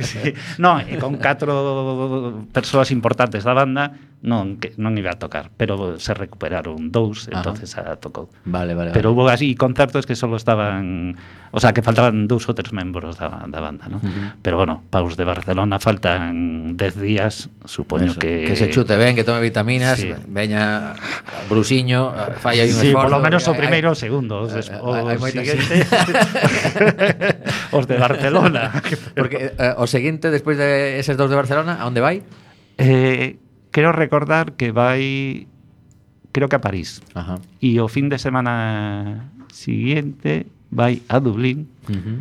sí. No, e con catro persoas importantes da banda non que non iba a tocar, pero se recuperaron dous, Ajá. entonces a tocou. Vale, vale. Pero vale. hubo así concertos que solo estaban, o sea, que faltaban dous ou tres membros da, da banda, ¿no? Uh-huh. Pero bueno, paus de Barcelona faltan dez días, supoño Eso, que... que se chute ben, que tome vitaminas, Sí. veña Brusiño, falla aí un Sí, esforzo. por lo menos o Hai- primeiro o hai- segundo, os, des, hai- o hai moita siguiente, os de Barcelona. Porque eh, o seguinte, despois de eses dous de Barcelona, a onde vai? Eh, quero recordar que vai, creo que a París. Ajá. E o fin de semana siguiente vai a Dublín, Uh-huh.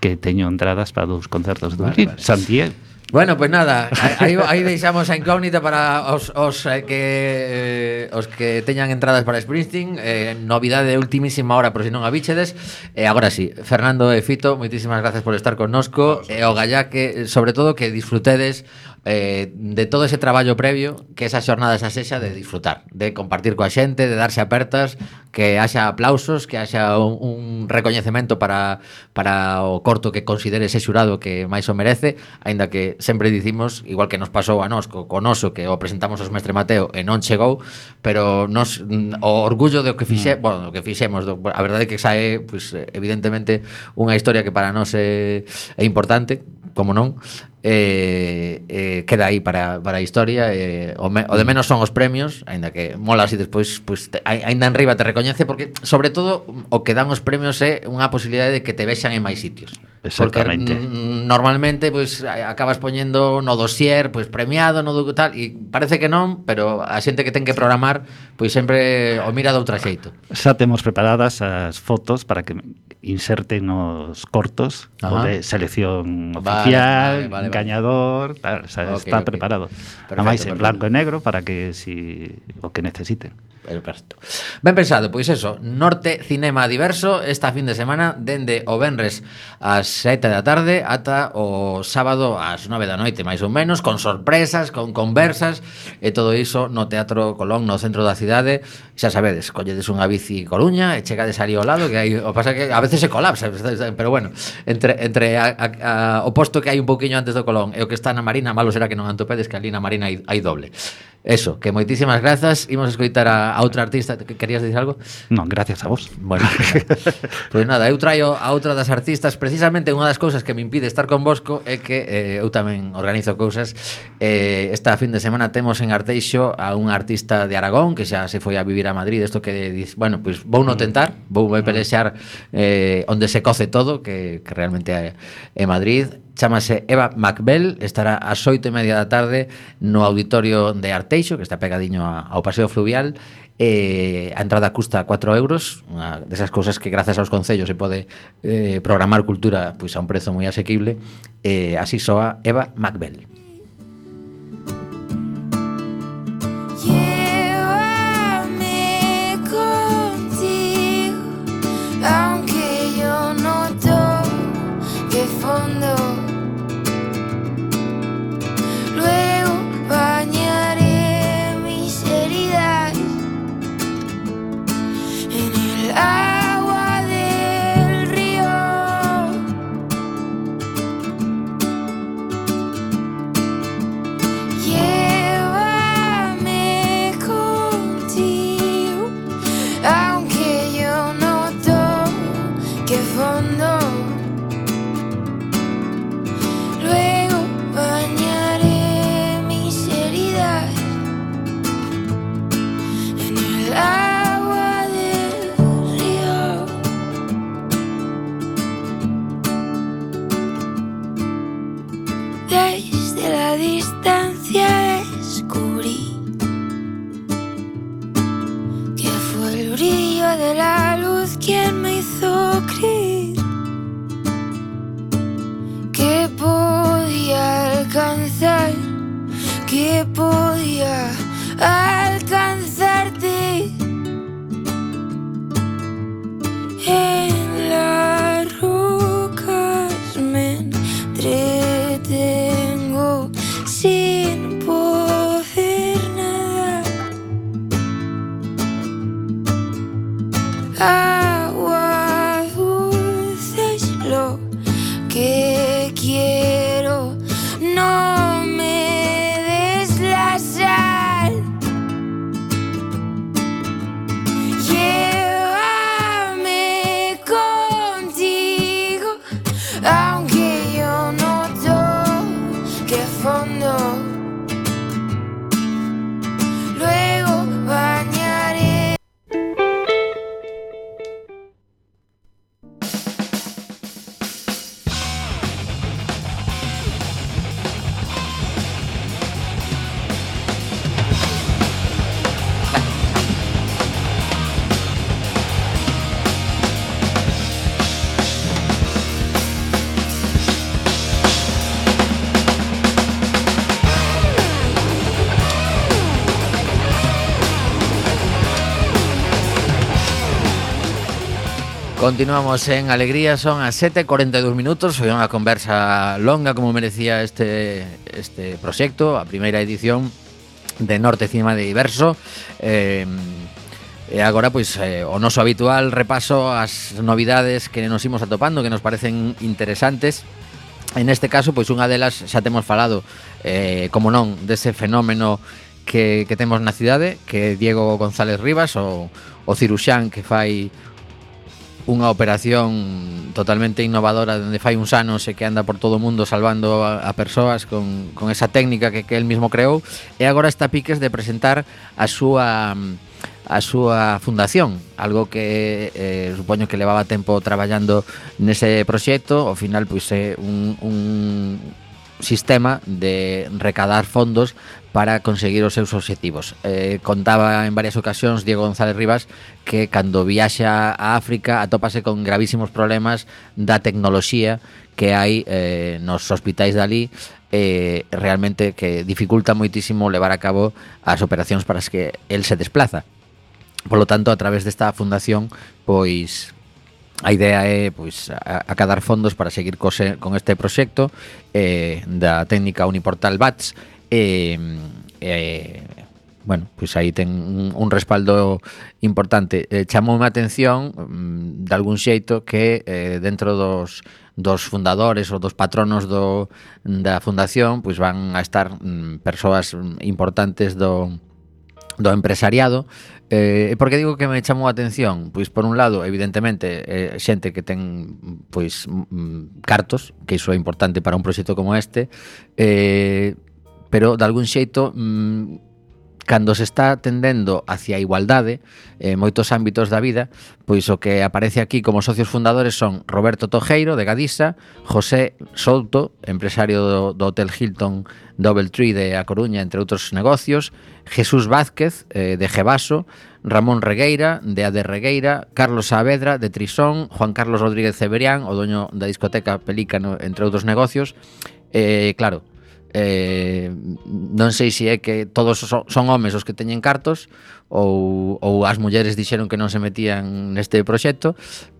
que teño entradas para dous concertos de Vale, Dublín. vale. Santiago. Bueno, pues nada, aí, aí deixamos a incógnita para os, os eh, que eh, os que teñan entradas para Springsteen, eh, novidade de ultimísima hora por si non a bichedes. E agora sí, Fernando e Fito, moitísimas gracias por estar connosco, e o gallá que sobre todo que disfrutedes eh, de todo ese traballo previo, que esa xornada esa sexa de disfrutar, de compartir coa xente, de darse apertas, que haxa aplausos, que haxa un, un recoñecemento para, para o corto que considere ese xurado que máis o merece, aínda que sempre dicimos, igual que nos pasou a nós co, co noso, que o presentamos aos Mestre Mateo e non chegou, pero nos, o orgullo do que fixe, mm. bueno, do que fixemos, do, a verdade é que sae, pues, evidentemente, unha historia que para nós é, é importante, como non, eh, eh, queda aí para, para a historia, eh, o, me, o de menos son os premios, aínda que mola así despois, pues, te, aínda en riba te recoñece, porque sobre todo o que dan os premios é unha posibilidade de que te vexan en máis sitios. Exactamente. Porque mm, normalmente pues acabas poñendo no dossier, pues premiado, no do tal, e parece que non, pero a xente que ten que programar, pois sempre o mira de outra xeito. Xa temos preparadas as fotos para que inserten nos cortos. Ajá. O de selección Vale, oficial, vale, vale, vale. gañador, tal, xa Ok, está ok. preparado. Perfecto, Ademais en perfecto. blanco e negro para que si o que necesiten. Perfecto. Ben pensado, pois eso, Norte Cinema Diverso esta fin de semana dende o venres ás sete da tarde ata o sábado ás nove da noite, máis ou menos, con sorpresas, con conversas e todo iso no Teatro Colón, no centro da cidade. Xa sabedes, colledes unha bici Coruña e chegades ali ao lado, que hai, o pasa que a veces se colapsa, pero bueno, entre entre a, a, a, o posto que hai un pouquiño antes do Colón e o que está na Marina, malo será que non antopedes que ali na Marina hai, hai doble. Eso, que moitísimas grazas. Imos escoitar a, a outra artista. Que querías dicir algo? Non, gracias a vos. Bueno, pois nada, eu traio a outra das artistas. Precisamente unha das cousas que me impide estar convosco é que eh, eu tamén organizo cousas. eh, Esta fin de semana temos en Arteixo a unha artista de Aragón que xa se foi a vivir a Madrid. Isto que diz, bueno, pois vou no tentar, vou pelexar eh, onde se coce todo, que, que realmente é, é Madrid. Chámase Eva Macbel, estará ás oito e media da tarde no auditorio de Arteixo, que está pegadiño ao Paseo Fluvial. Eh, a entrada custa cuatro euros, unha desas cousas que grazas aos concellos se pode eh, programar cultura pois a un prezo moi asequible. Eh, así soa Eva Macbel. Llévame contigo, aunque yo no toque fondo. Luego bañaré mis heridas en el agua del río. Llévame contigo, aunque yo no toque fondo. Luego bañaré mis heridas en el agua del río. Desde la distancia descubrí que fue el brillo de la luz quien me hizo creer que podía alcanzar, que podía alcanzarte. En las rocas me entretengo sin poder nadar. Agua dulce es lo que quiero, no me des la sal. Continuamos en Alegría, son as sete e cuarenta e dous minutos. Foi unha conversa longa como merecía este, este proxecto, a primeira edición de Norte Cinema de Diverso. eh, E agora, pois, eh, o noso habitual repaso ás novidades que nos imos atopando, que nos parecen interesantes. En este caso, pois unha delas xa temos falado, eh, como non, dese fenómeno que, que temos na cidade, que é Diego González Rivas, o, o ciruxán que fai unha operación totalmente innovadora dende fai uns anos e que anda por todo o mundo salvando a, a persoas con, con esa técnica que, que el mismo creou, e agora está piques de presentar a súa a súa fundación, algo que eh, supoño que levaba tempo traballando nese proxecto. Ao final, pois é un, un sistema de recadar fondos para conseguir os seus obxectivos. Eh, contaba en varias ocasións Diego González Rivas que cando viaxa a África atópase con gravísimos problemas da tecnoloxía que hai eh, nos hospitais dali, eh, realmente que dificulta moitísimo levar a cabo as operacións para as que el se desplaza. Por lo tanto, a través desta fundación, pois a idea é pois acadar fondos para seguir cose, con este proxecto eh, da técnica Uniportal B A T S. E, eh, bueno, pois aí ten un, un respaldo importante. Eh, chamoume a atención mm, de algún xeito que eh, dentro dos dos fundadores ou dos patronos do, da fundación pois van a estar mm, persoas importantes do do empresariado. Eh, por que digo que me chamou a atención? Pois por un lado, evidentemente, eh, xente que ten pois mm, cartos, que iso é importante para un proxecto como este, eh, pero de algún xeito mmm, cando se está tendendo hacia a igualdade en eh, moitos ámbitos da vida, pois o que aparece aquí como socios fundadores son Roberto Tojeiro, de Gadisa, José Souto, empresario do, do Hotel Hilton Doubletree de A Coruña, entre outros negocios, Jesús Vázquez, eh, de Gevaso, Ramón Regueira, de A de Regueira, Carlos Saavedra, de Trisón, Juan Carlos Rodríguez Ceberián, o doño da discoteca Pelícano, entre outros negocios. Eh, claro, Eh, non sei se é que todos son, son homes os que teñen cartos ou, ou as mulleres dixeron que non se metían neste proxecto,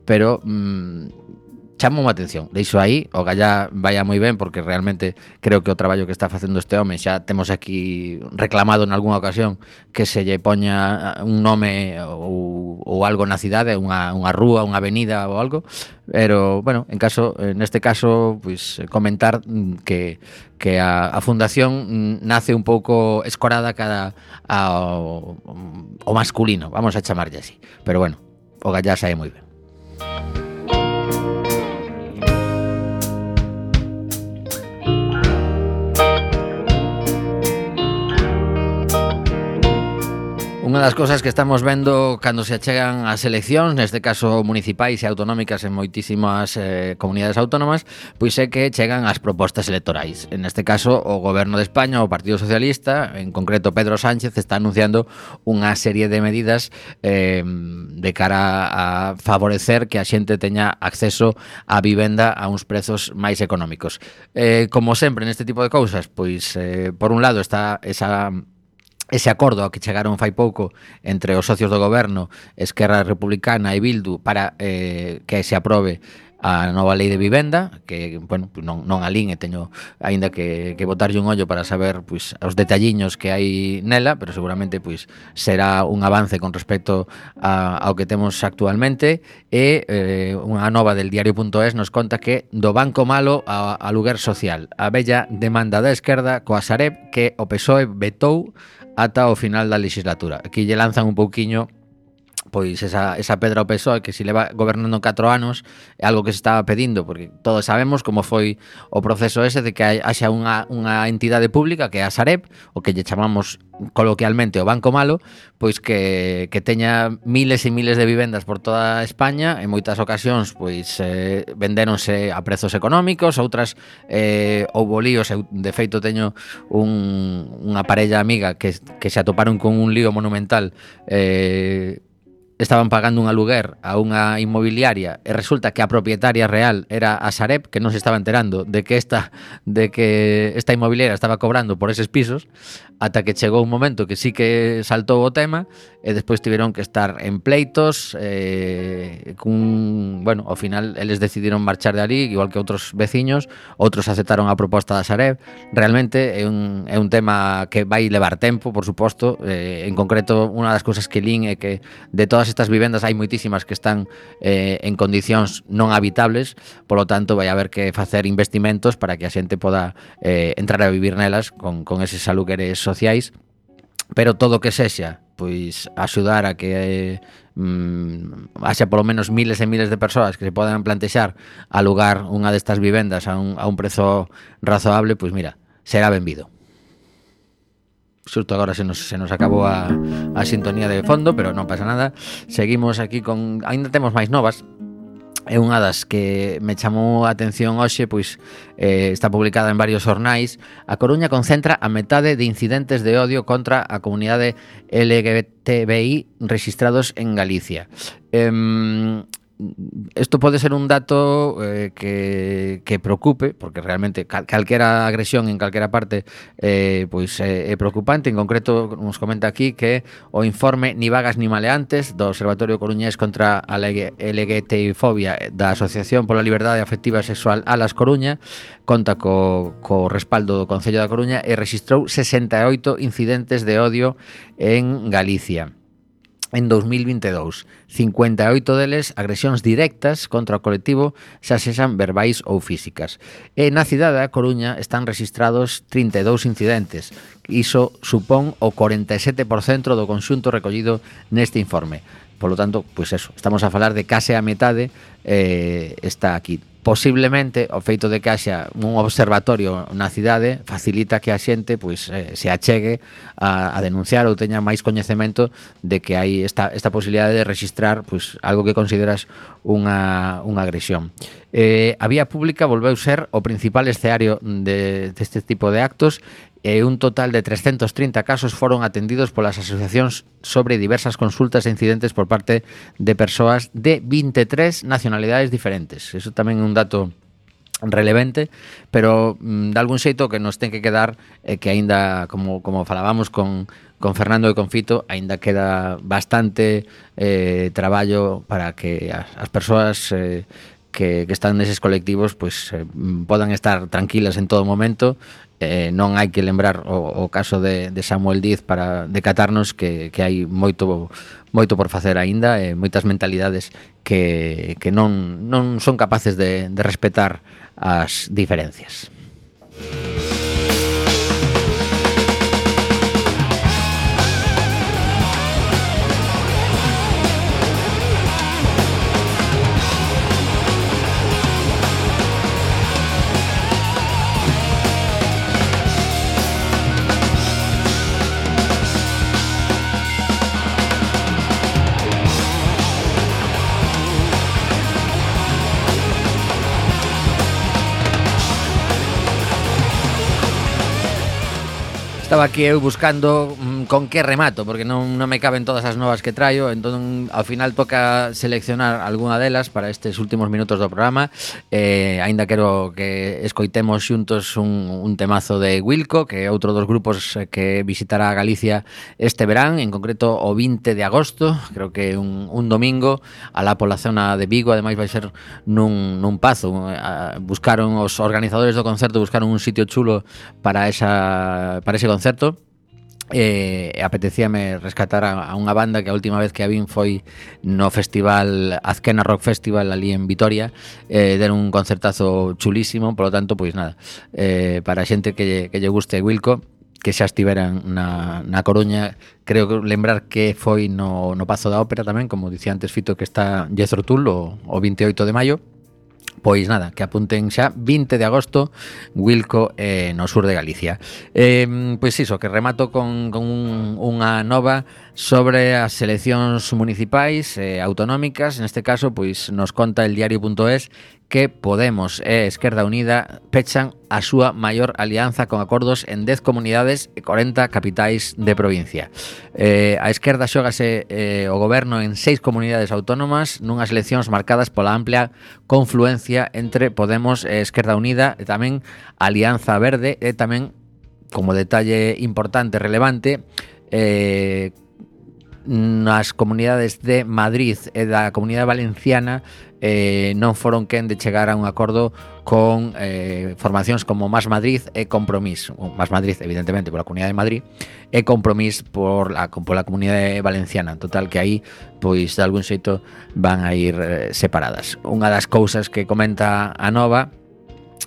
pero mm, chamou a atención. Deixo aí, o gallá vaya moi ben, porque realmente creo que o traballo que está facendo este home, xa temos aquí reclamado en algunha ocasión que se lle poña un nome ou, ou algo na cidade, unha, unha rúa, unha avenida ou algo, pero, bueno, en caso, neste caso, pois comentar que que a, a fundación nace un pouco escorada cada ao, ao masculino, vamos a chamarlle así, pero bueno, o gallá sae moi ben. Unha das cousas que estamos vendo cando se achegan as eleccións, neste caso municipais e autonómicas en moitísimas eh, comunidades autónomas, pois é que chegan as propostas electorais. En este caso, o Goberno de España, o Partido Socialista, en concreto Pedro Sánchez, está anunciando unha serie de medidas eh, de cara a favorecer que a xente teña acceso á vivenda a uns prezos máis económicos. Eh, como sempre neste tipo de cousas, pois eh, por un lado está esa ese acordo ao que chegaron fai pouco entre os socios do goberno, Esquerra Republicana e Bildu, para eh, que se aprobe a nova lei de vivenda, que, bueno, non, non alín e teño aínda que, que botarlle un ollo para saber pois, os detalliños que hai nela, pero seguramente pois, será un avance con respecto a, ao que temos actualmente. E eh, unha nova del diario punto es nos conta que do banco malo a, a lugar social, a bella demanda da esquerda coa Sareb que o P S O E vetou ata o final da legislatura. Aquí lle lanzan un pouquiño pois esa, esa pedra ao P S O E, que se leva gobernando catro anos, é algo que se estaba pedindo, porque todos sabemos como foi o proceso ese de que haxa unha, unha entidade pública que é a Sareb, o que lle chamamos coloquialmente o Banco Malo, pois que, que teña miles e miles de vivendas por toda España, en moitas ocasións pois eh, vendéronse a prezos económicos, outras eh, houbo líos. Eu de feito teño un, unha parella amiga que, que se atoparon con un lío monumental, eh, estaban pagando un aluguer a unha inmobiliaria e resulta que a propietaria real era a Sareb, que non se estaba enterando de que esta de que esta inmobiliaria estaba cobrando por eses pisos, ata que chegou un momento que sí que saltou o tema e despois tiveron que estar en pleitos, eh, cun, bueno, ao final eles decidiron marchar de ali, igual que outros veciños, outros aceptaron a proposta da Sareb. Realmente é un, é un tema que vai levar tempo, por suposto. Eh, en concreto, unha das cousas que lin é que de todas estas vivendas hai moitísimas que están eh, en condicións non habitables, polo tanto vai haber que facer investimentos para que a xente poda eh, entrar a vivir nelas con, con eses alugueres sociais, pero todo o que sexa pois axudar a que mm, haxa polo menos miles e miles de persoas que se podan plantexar alugar unha destas vivendas a un, a un prezo razoable, pois mira, será benvido. Xusto agora se nos, se nos acabou a, a sintonía de fondo, pero non pasa nada. Seguimos aquí con... Ainda temos máis novas. É unha das que me chamou a atención hoxe, pois eh, está publicada en varios xornais. A Coruña concentra a metade de incidentes de odio contra a comunidade L G B T B I registrados en Galicia. Eh, Isto pode ser un dato eh, que, que preocupe, porque realmente cal, calquera agresión en calquera parte eh, pois é, é preocupante. En concreto, nos comenta aquí que o informe Ni vagas ni maleantes do Observatorio Coruñés contra a L G B T I fobia da Asociación pola Liberdade Afectiva e Sexual Alas Coruña conta co, co respaldo do Concello da Coruña e rexistrou sesenta e oito incidentes de odio en Galicia en dos mil vinte e dous. cincuenta e oito deles agresións directas contra o colectivo, xa sexan verbais ou físicas. E na cidade da Coruña están registrados trinta e dous incidentes. Iso supón o cuarenta e sete por cento do conxunto recollido neste informe. Polo tanto, pois eso, estamos a falar de case a metade eh, está aquí. Posiblemente o feito de que haxa un observatorio na cidade facilita que a xente pois eh, se achegue a, a denunciar ou teña máis coñecemento de que hai esta, esta posibilidade de registrar pois algo que consideras unha, unha agresión. Eh, a vía pública volveu ser o principal escenario de, deste tipo de actos e un total de trescentos trinta casos foron atendidos polas asociacións sobre diversas consultas e incidentes por parte de persoas de vinte e tres nacionalidades diferentes. Eso tamén é un dato relevante, pero mm, de algún xeito que nos ten que quedar é que aínda, como, como falábamos con, con Fernando e con Fito, aínda queda bastante eh, traballo para que as, as persoas eh, que, que están neses colectivos pues, eh, podan estar tranquilas en todo momento. Eh, non hai que lembrar o, o caso de, de Samuel Diz para decatarnos que, que hai moito moito por facer aínda, e moitas mentalidades que, que non, non son capaces de, de respetar as diferencias. Estaba aquí eu buscando mm, con que remato, porque non, non me caben todas as novas que traio, entón ao final toca seleccionar algunha delas para estes últimos minutos do programa. Eh, aínda quero que escoitemos xuntos un, un temazo de Wilco, que é outro dos grupos que visitará Galicia este verán, en concreto o vinte de agosto, creo que un, un domingo, alá pola zona de Vigo. Ademais vai ser nun, nun pazo. Buscaron os organizadores do concerto, buscaron un sitio chulo para esa para ese concerto. Concerto e eh, apetecíame rescatar a, a unha banda que a última vez que a vin foi no festival Azquena Rock Festival ali en Vitoria. Eh, deron un concertazo chulísimo, polo tanto, pois nada, eh, para a xente que lle, que lle guste Wilco, que xa estiveran na, na Coruña, creo que lembrar que foi no, no Pazo da Ópera tamén, como dicía antes Fito, que está Jethro Tull o, o vinte e oito de maio. Pois nada, que apunten xa vinte de agosto, Wilco eh, no sur de Galicia. Eh, pois iso, que remato con, con un, unha nova sobre as eleccións municipais e eh, autonómicas. Neste caso, pois nos conta el diario punto es que Podemos e Esquerda Unida pechan a súa maior alianza con acordos en dez comunidades e corenta capitais de provincia. Eh, a esquerda xógase eh, o goberno en seis comunidades autónomas nunhas eleccións marcadas pola amplia confluencia entre Podemos e Esquerda Unida, e tamén Alianza Verde, e tamén, como detalle importante, relevante, eh, nas comunidades de Madrid e da Comunidade Valenciana eh, non foron quen de chegar a un acordo con eh, formacións como Más Madrid e Compromís. Más Madrid, evidentemente, pola Comunidade de Madrid, e Compromís por la, pola Comunidade Valenciana. En total, que aí, pois, de algún xeito, van a ir eh, separadas. Unha das cousas que comenta a Nova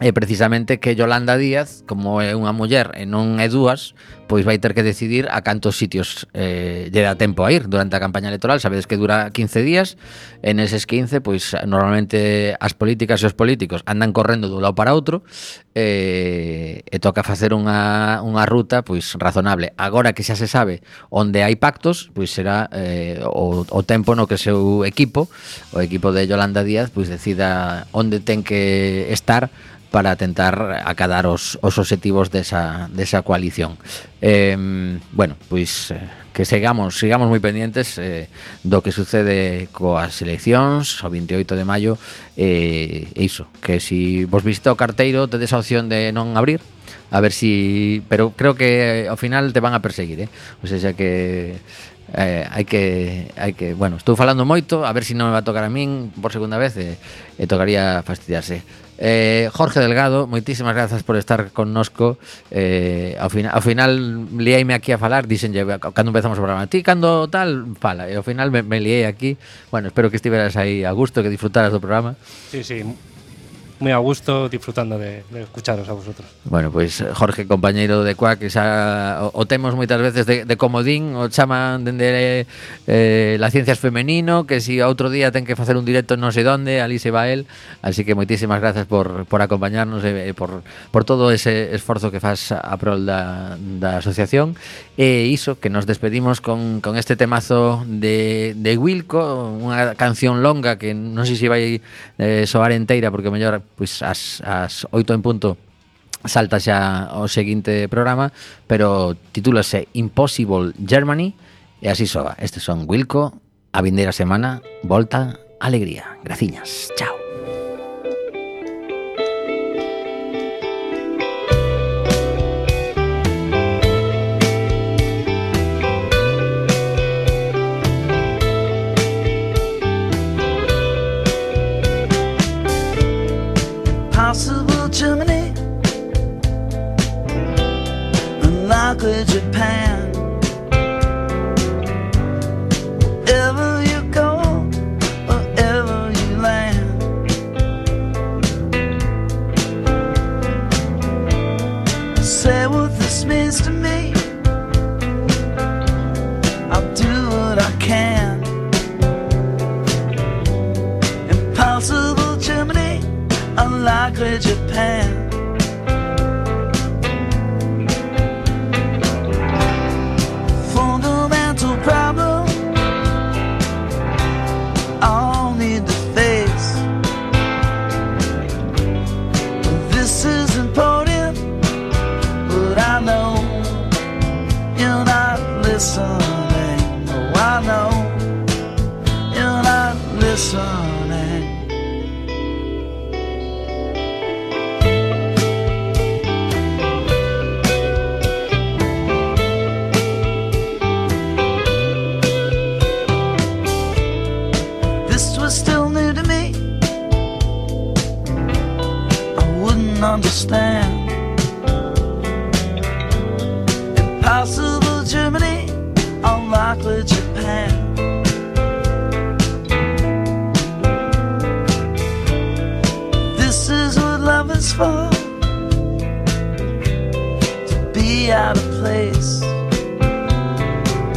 é precisamente que Yolanda Díaz, como é unha muller e non é dúas, pois vai ter que decidir a cantos sitios eh, lle dá tempo a ir durante a campaña electoral. Sabedes que dura quince días, e neses quince, pois normalmente as políticas e os políticos andan correndo dun lado para outro, e, e toca facer unha, unha ruta pois razonable. Agora que xa se sabe onde hai pactos, pois será eh, o, o tempo no que o seu equipo, o equipo de Yolanda Díaz, pois decida onde ten que estar para tentar acadar os, os obxectivos desa, desa coalición. Eh, bueno, pois eh, que sigamos, sigamos moi pendientes eh, do que sucede coas eleccións o vinte e oito de maio, e eh, iso, que si vos visita o carteiro tedes a opción de non abrir, a ver si, pero creo que ao final te van a perseguir, eh? O sea, que eh, hai que hai que, bueno, estou falando moito, a ver si non me va a tocar a min por segunda vez, e, e tocaría fastidiarse. Eh, Jorge Delgado, moitísimas grazas por estar connosco. eh, ao, final, ao final liaime aquí a falar, dixenlle cando empezamos o programa, ti cando tal fala, e ao final me, me liei aquí. Bueno, espero que estiveras aí a gusto, que disfrutaras do programa. Sí, sí, moi a gusto, disfrutando de, de escucharos a vosotros. Bueno, pois pues, Jorge, compañeiro de Cuac, que xa o, o temos moitas veces de, de comodín, o chaman dende eh, las ciencias femenino, que si outro día ten que facer un directo non sei donde, ali se va el. Así que moitísimas gracias por, por acompañarnos e, e por, por todo ese esforzo que faz a prol da, da asociación. E iso, que nos despedimos con, con este temazo de, de Wilco, unha canción longa que non sei se vai eh, soar enteira, porque o mellor pois as, as oito en punto salta xa o seguinte programa, pero titúlase Impossible Germany, e así soa. Estes son Wilco, a vindeira semana volta alegría. Graciñas, chao. Possible Germany, unlikely Japan. Wherever you go, wherever you land, say what this means to me. I'll do what I can. Impossible Germany, unlikely Japan. Fundamental problem all need to face. This is important, but I know you're not listening. Oh, I know you're not listening. Still new to me, I wouldn't understand.